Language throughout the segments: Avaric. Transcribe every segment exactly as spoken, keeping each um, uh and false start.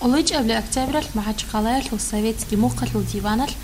Гьалаб октябралъ МахӀачхъалаялъул Советский мухъалъул диваналъ,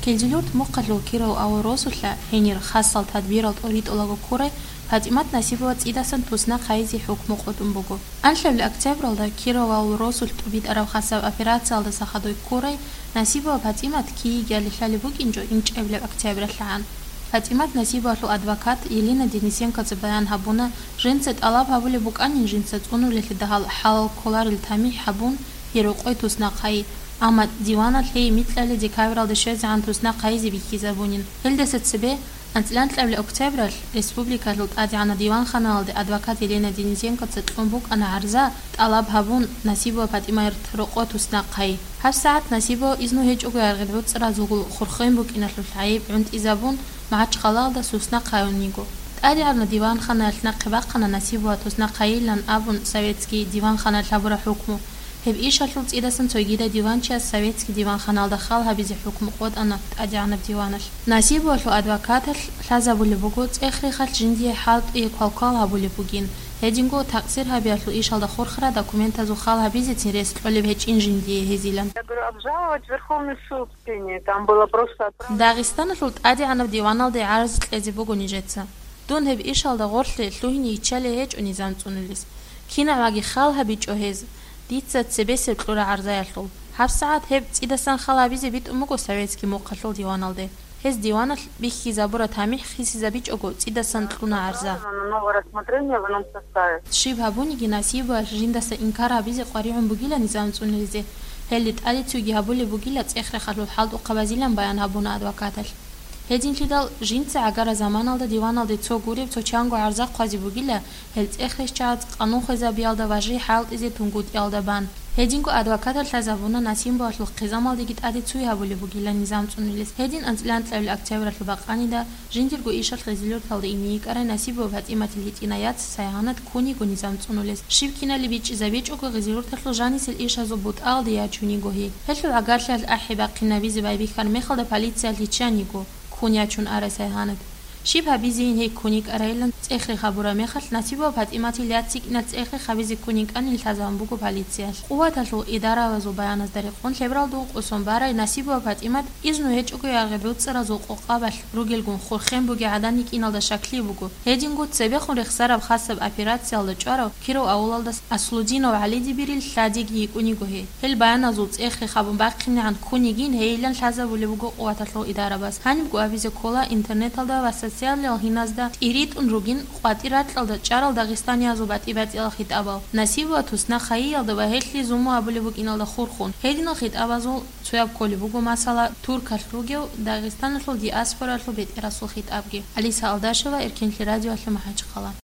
Килзилюрт мухъалъул Киров авал росулъа гьенир хасал тадбирал тӀоритӀулаго ккурай ПатӀимат Насибова цӀидасан туснахъ гьайизе хӀукму къотӀун буго. Анлъабилеб октябралда Киров авал росулъ тӀубитӀараб хасаб операциялдаса хадуб ккурай Насибова ПатӀимат киги-кигиги лъалеб букӀинчӀо инчӀабилеб октябралъагӀан. ПатӀимат Насибовалъул адвокат Елена Денисенкоца баян гьабуна, жинца тӀалаб гьабулеб букӀанин жинца цӀунулелъидал гьалал кколарел тамихӀ гьабун, гьел рокъой туснахъ гьайи, амма диваналъ гьей микьали декабралда щвезегӀан туснахъ гьайизе бихьизабунин. Гьелдаса цебе анцӀила анлъабилеб октябралъ республикалъул ТӀадегӀанаб диванханалде адвокат Елена Денисенкоца кьун букӀана гӀарза, тӀалаб гьабун, Насибова ПатӀимаялъ рокъо туснахъ гьайи. ГьабсагӀат Насибова изну гьечӀого яргъи гӀуцӀразулгун хурхен букӀиналъул гӀайиб гӀунтӀизабун, МахӀачхъалаялда туснахъ гьаюн йиго. ТӀадегӀанаб диванханаялъ нахъе бахъана Насибова туснахъ гьайилан абун советский диванханаялъ гьабураб хӀукму. Гьеб ишалъул цӀидасан цогидаб диванчияс советский диванханалда хал гьабизе хӀукму къотӀана ТӀадегӀанаб диваналъ. Насибовалъул адвокаталъ лъазабулеб буго, цӀех-рехалъ жиндие хӀалтӀи квалквал гьабулеб бугин, гьединго такъсир гьабиялъул ишалда хурхараб документазул хал гьабизецин рес кьолеб гьечӀин жиндие гьезилан. Я говорю, обжаловать Верховный суд. Там было просто отправлено. Дагъистаналъул ТӀадегӀанаб диваналде гӀарз кьезе буго нижеца. Дун гьеб ишалда гъорлъе лъугьине йиччалей гьечӀо низам цӀунулес. КинагӀаги хал гьабичӀо гьез. Дица цебесеб кьура гӀарзаялъул. ГьабсагӀат гьеб цӀидасан хал гьабизе битӀун буго советский мухъалъул диваналде. Гьез диваналъ бихьизабураб тамихӀ хисизабичӀого цӀидасан кьуна гӀарза. Новое рассмотрение в ином составе. Щиб гьабуниги Насибовалъ жиндаса инкар гьабизе къваригӀун бугила низам цӀунулезе. Гьелде тӀаде цуйги гьабулеб бугила цӀех-рехалъул хӀалтӀухъабазилан баян гьабуна адвокаталъ. Гьединлъидал жинца гӀагараб заманалда диваналде цо гуреб, цо чанго гӀарза хъвазе бугила, гьел цӀех-рехчагӀаз къанун хвезабиялда ва жий хӀалтӀизе тунгутӀиялда бан. Гьединго адвокаталъ лъазабуна Насибовалъул хъизамалдеги тӀаде цуй гьабулеб бугила низам цӀунулес. Гьедин анцӀила анлъабилеб октябралъул бакъанида жиндирго ишалъ Гъизилюрталда ине йикӀарай Насибова ПатӀиматил гьитӀинай яц Сайгьанат ккун йиго низам цӀунулес. Щиб киналеб бичӀчӀизабичӀого, Гъизилюрталъул жанисел ишазул бутӀаялде ячун йиго гьей. Гьелъул гӀагарлъиялъ ахӀи-бахъинабизе байбихьараб мехалда полициялъ йиччан йиго ккун ячун арай Сайгьанат. Щиб гьабизейин гьей ккун йикӀарайилан цӀех-рех гьабураб мехалъ, Насибова ПатӀиматил яц йикӀиналъ цӀех-рех гьабизе ккун йикӀанин лъазабун буго полициялъ. Къуваталъул идарабазул баяназда рекъон, лъебералда ункъо сон барай Насибова ПатӀимат изну гьечӀого яргъи гӀуцӀразул къокъабалъ ругелгун хурхен бугей гӀадан йикӀиналда щаклъи буго. Гьединго цебехун рехсараб хасаб операциялда чӀварав Киров авулалдаса Аслудинов ГӀалиде бирил лъадиги йикӀун йиго гьей. Гьел баяназул цӀех-рех гьабун бахъинегӀан ккун йигин гьейилан лъазабулеб буго къуваталъул идарабаз. Гьанибго абизе ккола интернеталда ва социалиял гьиназда тӀиритӀун ругин къватӀир ракьалда чӀарал дагъистаниязул батӀи-батӀиял хитӀабал. Насибова туснахъ гьайиялда ва гьелъие зулму гьабулеб букӀиналда хурхун. Гьединал хитӀабазул цояб кколеб буго, масала, Туркалъ ругев Дагъистаналъул диаспоралъул бетӀерасул хитӀабги. Алиса Алдашева, Эркенлъи радиоялъ, МахӀачхъала.